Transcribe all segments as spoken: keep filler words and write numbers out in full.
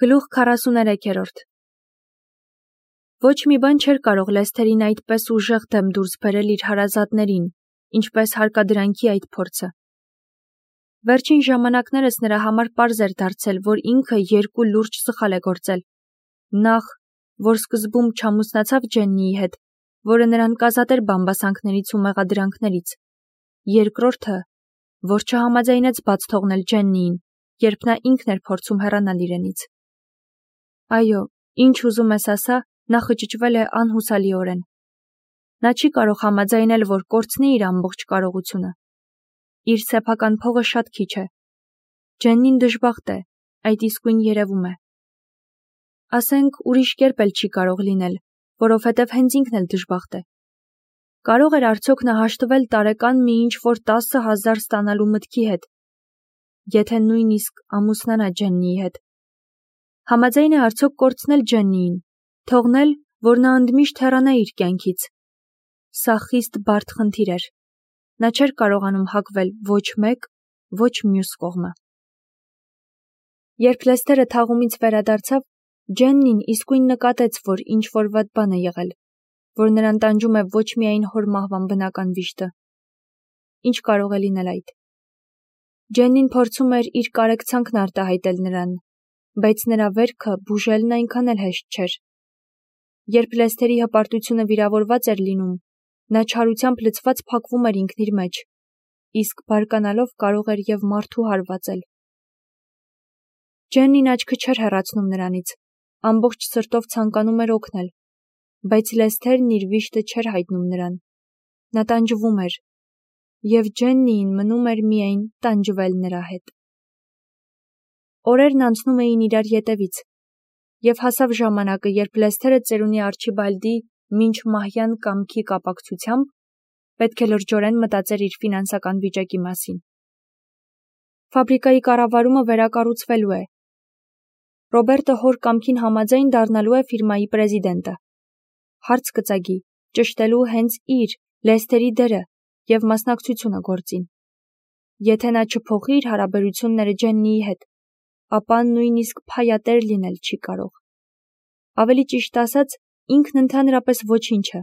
Գլուխ քառասուներեքերորդ Ոչ մի բան չէր կարող Լեսթերին այդպես ուժեղ դեմ դուրս բերել իր հարազատներին, ինչպես հարկադրանքի այդ փորձը։ Վերջին ժամանակներս նրա համար պարզ էր դարձել, որ ինքը երկու լուրջ սխալ է գործել։ Նախ, որ սկզբում չամուսնացավ Ջեննիի հետ, որը նրան կազատեր բամբասանքներից ու մեղադրանքներից։ Երկրորդը, որ չհամաձայնեց բաց թողնել Ջեննիին, երբ նա ինքն էր փորձում հեռանալ իրենից։ Այո, ինչ ուզում ես ասա, նա խճճվել է անհուսալիորեն։ Նա չի կարող համաձայնել, որ կորցնի իր ամբողջ կարողությունը։ Իր սեփական փողը շատ քիչ է։ Ջեննին դժբախտ է, այդ իսկույն երևում է։ Ասենք, ուրիշ կերպ էլ չի կարող լինել, որովհետև հենց ինքն էլ դժբախտ է։ Կարող էր արդյոք նա հաշտվել տարեկան մի ինչ-որ տասը հազար ստանալու մտքի հետ, եթե նույնիսկ ամուսնանա Ջեննիի հետ։ Համաձայն է արդյոք կորցնել Ջեննիին, թողնել, որ նա ընդմիշտ հեռանա իր կյանքից։ Սա խիստ բարդ խնդիր էր։ Նա չէր կարողանում հակվել ոչ մեկ, ոչ մյուս կողմը։ Երբ Լեսթերը թաղումից վերադարձավ, Ջեննին իսկույն նկատեց, որ ինչ-որ վատ բան է եղել, որ նրան տանջում է ոչ միայն հոր մահվան բնական վիշտը։ Ինչ կարող է լինել այդ։ Ջեննին փորձում էր իր կարեկցանքն արտահայտել նրան, բայց նրա վերքը բուժելն այնքան էլ հեշտ չէր։ Երբ Լեսթերի հպարտությունը վիրավորված էր լինում, նա չարությամբ լցված փակվում էր ինքն իր մեջ, իսկ բարկանալով կարող էր և մարդու հարվածել։ Ջեննին աչքը չէր հեռացնում նրանից, ամբողջ սրտով ցանկանում էր օգնել, բայց Լեսթերն իր վիշտը չէր հայտնում նրան։ Նա տանջվում էր, և Ջեննիին մնում էր միայն տանջվել նրա հետ։ Օրերն անցնում էին իրար ետևից, և հասավ ժամանակը, երբ Լեսթերը ծերունի Արչիբալդի մինչ մահյան կամքի կապակցությամբ պետք է լրջորեն մտածեր իր ֆինանսական վիճակի մասին։ Ֆաբրիկայի կառավարումը վերակառուցվելու է։ Ռոբերտը հոր կամքին համաձայն դառնալու է ֆիրմայի պրեզիդենտը։ Հարց կծագի, ճշտելու հենց իր, Լեսթերի դերը և մասնակցությունը գործին։ Եթե նա չփոխի իր հարաբերությունները Ջեննիի հետ, ապա նույնիսկ փայատեր լինել չի կարող։ Ավելի ճիշտ ասած, ինքն ընդհանրապես ոչինչ է։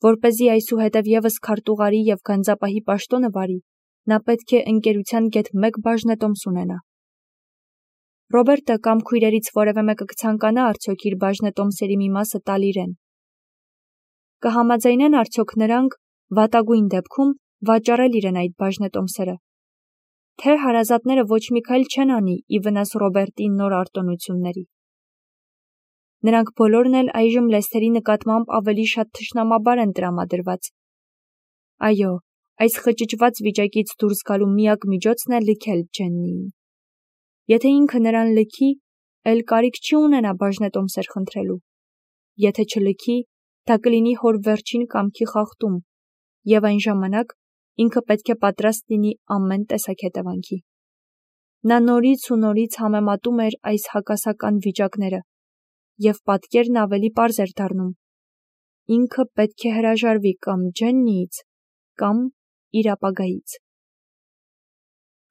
Որպեսզի այսուհետև ևս քարտուղարի և գանձապահի պաշտոնը վարի, նա պետք է ընկերության գեթ մեկ բաժնետոմս ունենա։ Ռոբերտը կամ քույրերից որևէ մեկը կցանկանա արդյոք իր բաժնետոմսերի մի մասը տալ իրեն։ Կհամաձայնեն արդյոք նրանք, վատագույն դեպքում, վաճառել իրեն այդ բաժնետոմսերը։ Թե հարազատները ոչ մի քայլ չեն անի ի վնաս Ռոբերտի նոր արտոնությունների։ Նրանք բոլորն էլ այժմ Լեսթերի նկատմամբ ավելի շատ թշնամաբար են տրամադրված։ Այո, այս խճճված վիճակից դուրս գալու միակ միջոցն է լքել Ջեննիին։ Եթե ինքը նրան լքի, էլ կարիք չի ունենա բաժնետոմսեր խնդրելու։ Եթե չլքի, դա կլինի հոր վերջին կամքի խախտում, և այն ժամանակ ինքը պետք է պատրաստ լինի ամեն տեսակ հետևանքի։ Նա նորից ու նորից համեմատում էր այս հակասական վիճակները, և պատկերն ավելի պարզ էր դառնում։ Ինքը պետք է հրաժարվի կամ Ջեննիից, կամ իր ապագայից։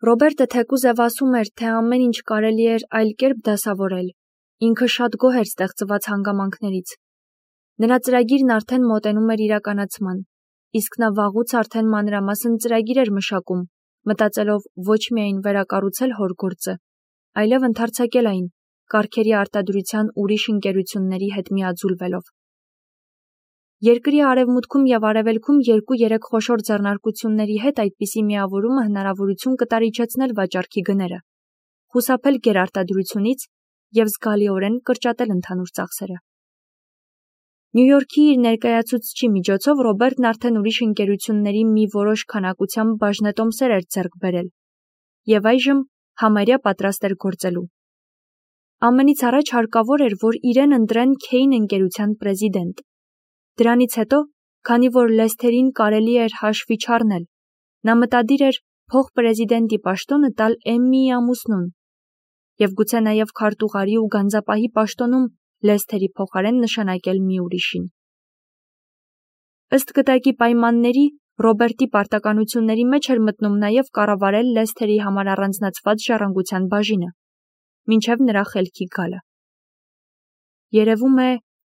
Ռոբերտը թեկուզև ասում էր, թե ամեն ինչ կարելի էր այլ կերպ դասավորել։ Ինքը շատ գոհ էր ստեղծված հանգամանքներից։ Նրա ծրագիրն արդեն մոտենում էր իրականացման, իսկ նա վաղուց արդեն մանրամասն ծրագիր էր մշակում, մտածելով ոչ միայն վերակառուցել հոր գործը, այլև ընդարձակել այն, կարգերի արտադրության ուրիշ ընկերությունների հետ միաձուլվելով։ Երկրի արևմուտքում և արևելքում երկու-երեք խոշոր ձեռնարկությունների հետ այդպիսի միավորումը հնարավորություն կտար իջեցնել վաճառքի գները, խուսափել գերարտադրությունից և զգալիորեն կրճատել ընդհանուր ծախսերը։ Նյու Յորքի իր ներկայացուցչի միջոցով Ռոբերտն արդեն ուրիշ ընկերությունների մի որոշ քանակությամբ բաժնետոմսեր էր ձեռք բերել, և այժմ համարյա պատրաստ էր գործելու։ Ամենից առաջ հարկավոր էր, որ իրեն ընտրեն Քեյն ընկերության պրեզիդենտ։ Դրանից հետո, քանի որ Լեսթերին կարելի էր հաշվի չառնել, նա մտադիր էր փոխպրեզիդենտի պաշտոնը տալ Էմմիի ամուսնուն և գուցե նաև քարտուղարի ու գանձապահի պաշտոնում Լեսթերի փոխարեն նշանակել մի ուրիշին։ Ըստ գտակի պայմանների, Ռոբերտի պարտականությունների մեջ էր մտնում նաև կառավարել Լեսթերի համար առանձնացված ժառանգության բաժինը։ մինչև նրա խելքի գալը։ Երևում է,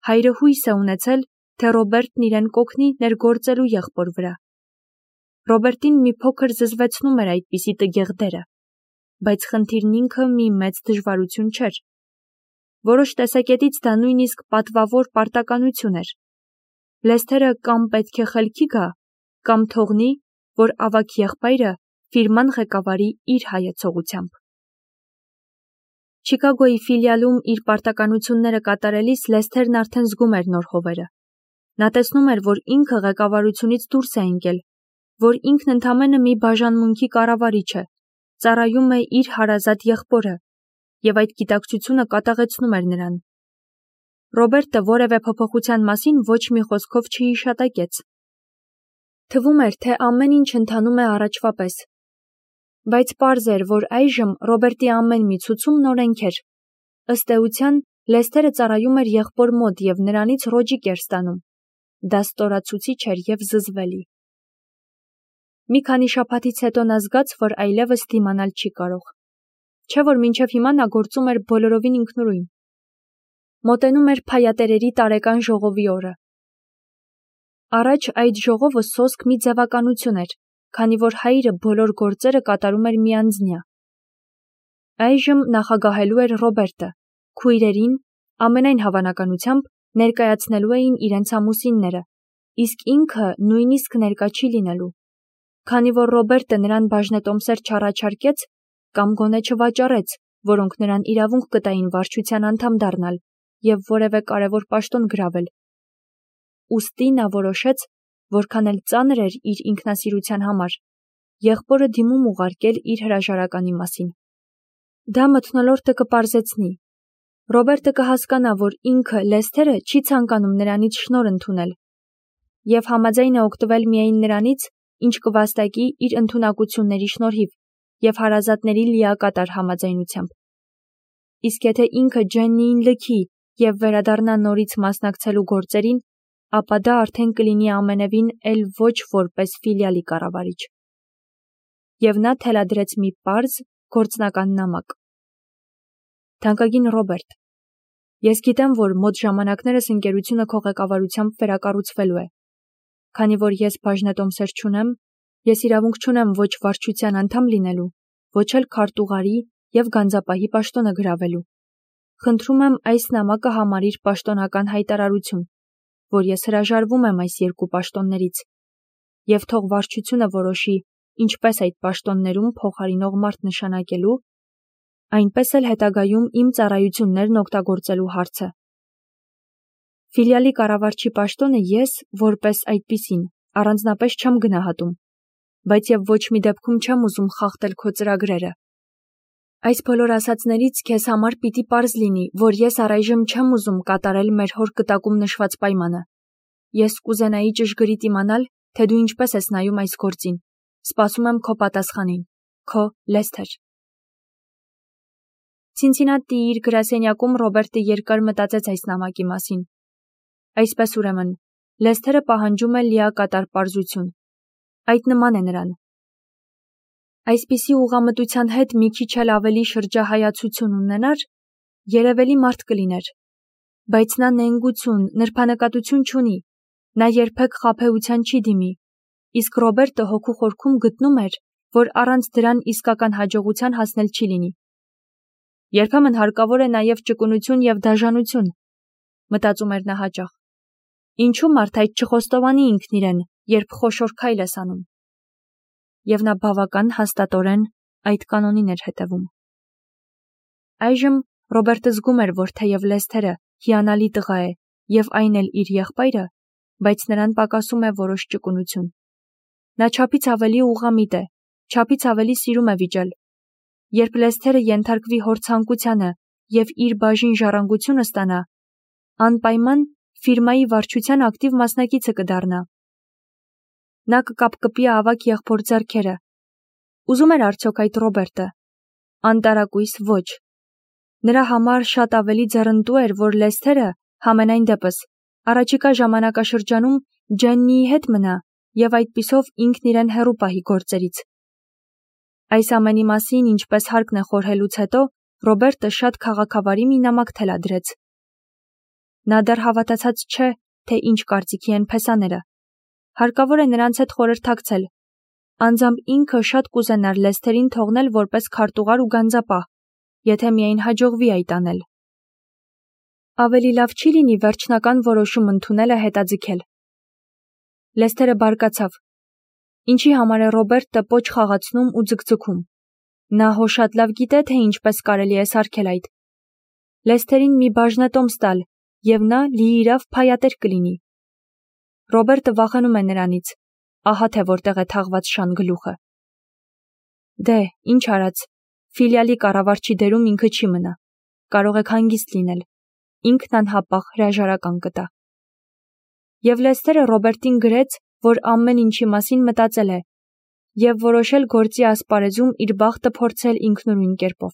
հայրը հույս է ունեցել, թե Ռոբերտն իրեն կօգնի ներգործելու եղբոր վրա։ Ռոբերտին մի փոքր զզվեցնում էր այդպիսի տգեղ դերը, բայց խնդիրն ինքը մի մեծ դժվարություն չէր։ Որոշ տեսակետից դա նույնիսկ պատվավոր պարտականություն էր։ Լեսթերը կամ պետք է խելքի գա, կամ թողնի, որ ավագ եղբայրը ֆիրման ղեկավարի իր հայեցողությամբ։ Չիկագոյի ֆիլիալում իր պարտականությունները կատարելիս Լեսթերն արդեն զգում էր նոր հովերը։ Նա տեսնում էր, որ ինքը ղեկավարությունից դուրս է ընկել, որ ինքն ընդամենը մի բաժանմունքի կառավարիչ է, ծառայում է իր հարազատ եղբորը, եւ այդ գիտակցությունը կատաղեցնում էր նրան։ Ռոբերտը որևէ փոփոխության մասին ոչ մի խոսքով չհիշատակեց։ Թվում էր, թե ամեն ինչ ընթանում է առաջվա պես։ Բայց պարզ էր, որ այժմ Ռոբերտի ամեն մի ցուցում նորենք էր։ Ըստ էության, Լեսթերը ծառայում էր եղբոր մոտ եւ նրանից ռոճիկ էր ստանում։ Դա ստորացուցիչ էր եւ զզվելի։ Մի քանի շաբաթից հետո նա զգաց, որ այլևս դիմանալ չի կարող։ Չէ՞ որ մինչև հիմա նա գործում էր բոլորովին ինքնուրույն։ Մոտենում էր փայատերերի տարեկան ժողովի օրը։ Առաջ այդ ժողովը սոսկ մի ձևականություն էր, քանի որ հայրը բոլոր գործերը կատարում էր միանձնյա։ Այժմ նախագահելու էր Ռոբերտը, քույրերին, ամենայն հավանականությամբ, ներկայացնելու էին իրենց ամուսինները, իսկ ինքը նույնիսկ ներկա չի լինելու։ Քանի որ Ռոբերտը նրան բաժնետոմսեր չառաջարկեց, կամ գոնե չվաճառեց, որոնք նրան իրավունք կտային վարչության անդամ դառնալ եւ որևէ կարևոր պաշտոն գրավել։ Ուստի նա որոշեց, որքան էլ ծանր էր իր ինքնասիրության համար, եղբորը դիմում ուղարկել իր հրաժարականի մասին։ Դա մթնոլորտը կպարզեցնի։ Ռոբերտը կհասկանա, որ ինքը Լեսթերը չի ցանկանում նրանից շնորհ ընդունել եւ համաձայն է օգտվել միայն նրանից, ինչ կվաստակի իր ընդունակությունների շնորհիվ եւ հարազատների լիակատար համաձայնությամբ։ Իսկ եթե ինքը Ջեննիին լքի եւ վերադառնա նորից մասնակցելու գործերին, ապա դա արդեն կլինի ամենևին էլ ոչ որպես ֆիլիալի կառավարիչ։ Եվ նա թելադրեց մի պարզ գործնական նամակ։ Թանկագին Ռոբերտ, ես գիտեմ, որ մոտ ժամանակներս ընկերությունը քո ղեկավարությամբ վերակառուցվելու է։ Քանի որ ես բաժնետոմսեր չունեմ, ես իրավունք չունեմ ոչ վարչության անդամ լինելու, ոչ էլ քարտուղարի եւ գանձապահի պաշտոնը գրավելու։ Խնդրում եմ այս նամակը համարիր պաշտոնական հայտարարություն, որ ես հրաժարվում եմ այս երկու պաշտոններից, եւ թող վարչությունը որոշի, ինչպես այդ պաշտոններում փոխարինող մարդ նշանակելու, այնպես էլ հետագայում իմ ծառայություններն օգտագործելու հարցը։ Ֆիլիալի կառավարչի պաշտոնը ես, որպես այդպիսին, առանձնապես չեմ գնահատում, բայց եւ ոչ մի դեպքում չեմ ուզում խախտել քո ծրագրերը։ Այս բոլոր ասածներից քեզ համար պիտի պարզ լինի, որ ես առայժմ չեմ ուզում կատարել մեր հոր կտակում նշված պայմանը։ Ես կուզենայի ճշգրիտ իմանալ, թե դու ինչպես ես նայում այս գործին։ Սպասում եմ քո պատասխանին։ Քո Լեսթեր։ Ցինցինատիի իր գրասենյակում Ռոբերտը երկար մտածեց այս նամակի մասին։ Այսպես ուրեմն, Լեսթերը պահանջում է լիակատար պարզություն։ Այդ նման է նրան։ Այսպիսի ուղղամտության հետ մի քիչ էլ ավելի շրջահայացություն ունենար, երևելի մարդ կլիներ։ Բայց նա նենգություն, նրբանկատություն չունի, նա երբեք խաբեության չի դիմի, իսկ Ռոբերտը հոգու խորքում գտնում էր, որ առանց դրան իսկական հաջողության հասնել չի լինի։ Երբեմն հարկավոր է նաև ճկունություն եւ դաժանություն, մտածում էր նա հաճախ։ Ինչու մարդ այդ չխոստովանի ինքն իրեն, երբ խոշոր քայլ է անում։ Եվ նա բավական հաստատորեն այդ կանոնին էր հետևում։ Այժմ Ռոբերտը զգում էր, որ թեև Լեսթերը հիանալի տղա է եւ այն էլ իր եղբայրը, բայց նրան պակասում է որոշ ճկունություն։ Նա չափից ավելի ուղղամիտ է, չափից ավելի սիրում է վիճել։ Երբ Լեսթերը ենթարկվի հոր ցանկությանը եւ իր բաժին ժառանգությունը ստանա, անպայման ֆիրմայի վարչության ակտիվ մասնակիցը կդառնա։ Նա կկապկպի ավակ եղբոր ձեռքերը։ Ուզում էր արդյոք այդ Ռոբերտը։ Անտարակույս ոչ։ Նրա համար շատ ավելի ձեռնտու էր, որ Լեսթերը համենայն դեպս առաջիկա ժամանակաշրջանում Ջեննիի հետ մնա եւ այդպիսով ինքն իրեն հեռու պահի գործերից։ Այս ամենի մասին, ինչպես հարկն է խորհելուց հետո, Ռոբերտը շատ քաղաքավարի մի նամակ թելադրեց։ Նա դեռ հավատացած չէ, թե ինչ կարծիքի են փեսաները։ Հարկավոր է նրանց հետ խորհրդակցել։ Անձամբ ինքը շատ կուզենար Լեսթերին թողնել որպես քարտուղար ու գանձապահ, եթե միայն հաջողվի այդ անել։ Ավելի լավ չի լինի վերջնական որոշում ընդունելը հետաձգել։ Լեսթերը բարկացավ։ Ինչի համար է Ռոբերտը պոչ խաղացնում ու ձգձգում։ Նա հո շատ լավ գիտե, թե ինչպես կարելի է սարքել այդ։ Լեսթերին մի բաժնետոմս տալ, և նա լիիրավ փայատեր կլինի։ Ռոբերտը վախենում է նրանից, ահա թե որտեղ է թաղված շան գլուխը։ Դե, ինչ արած, ֆիլիալի կառավարչի դերում ինքը չի մնա, կարող եք հանգիստ լինել, ինքն անհապաղ հրաժարական կտա։ Եվ Լեսթերը Ռոբերտին գրեց, որ ամեն ինչի մասին մտածել է, և որոշել գործի ասպարեզում իր բախտը փորձել ինքնուրույն կերպով։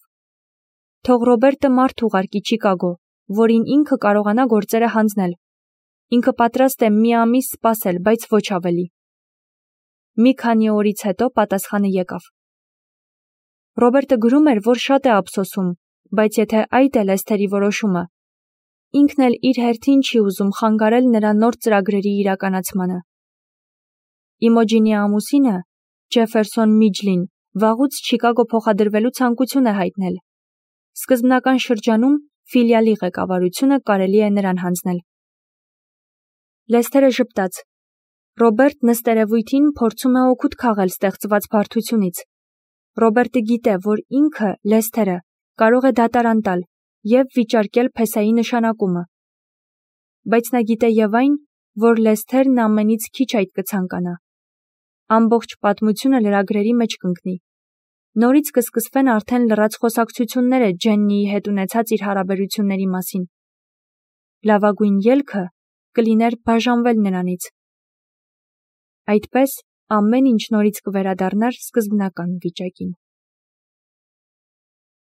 Թող Ռոբերտը մարդ ուղարկի Չիկագո, որին ինքը կարողանա գործերը հանձնել։ Ինքը պատրաստ է մի ամիս սպասել, բայց ոչ ավելի։ Մի քանի օրից հետո պատասխանը եկավ։ Ռոբերտը գրում էր, որ շատ է ափսոսում, բայց եթե այդ է Լեսթերի որոշումը, ինքն էլ իր հերթին չի ուզում խանգարել նրա նոր ծրագրերի իրականացմանը։ Իմոջինի ամուսինը, Ջեֆերսոն Միջլին, վաղուց Չիկագո փոխադրվելու ցանկություն է հայտնել։ Սկզբնական շրջանում ֆիլիալի ղեկավարությունը կարելի է նրան հանձնել։ Լեսթերը ժպտաց։ Ռոբերտ նստերևույթին փորձում է օգուտ քաղել ստեղծված բարդությունից։ Ռոբերտը գիտե, որ ինքը, Լեսթերը, կարող է դատարան տալ և վիճարկել փեսայի նշանակումը։ Բայց նա գիտե և այն, որ Լեսթերն ամենից քիչ այդ կցանկանա։ Ամբողջ պատմությունը լրագրերի մեջ կընկնի։ Նորից կսկսվեն արդեն լռած խոսակցությունները Ջեննիի հետ ունեցած իր հարաբերությունների մասին։ Լավագույն ելքը կլիներ բաժանվել նրանից։ Այդպես ամեն ինչ նորից կվերադառնար սկզբնական վիճակին։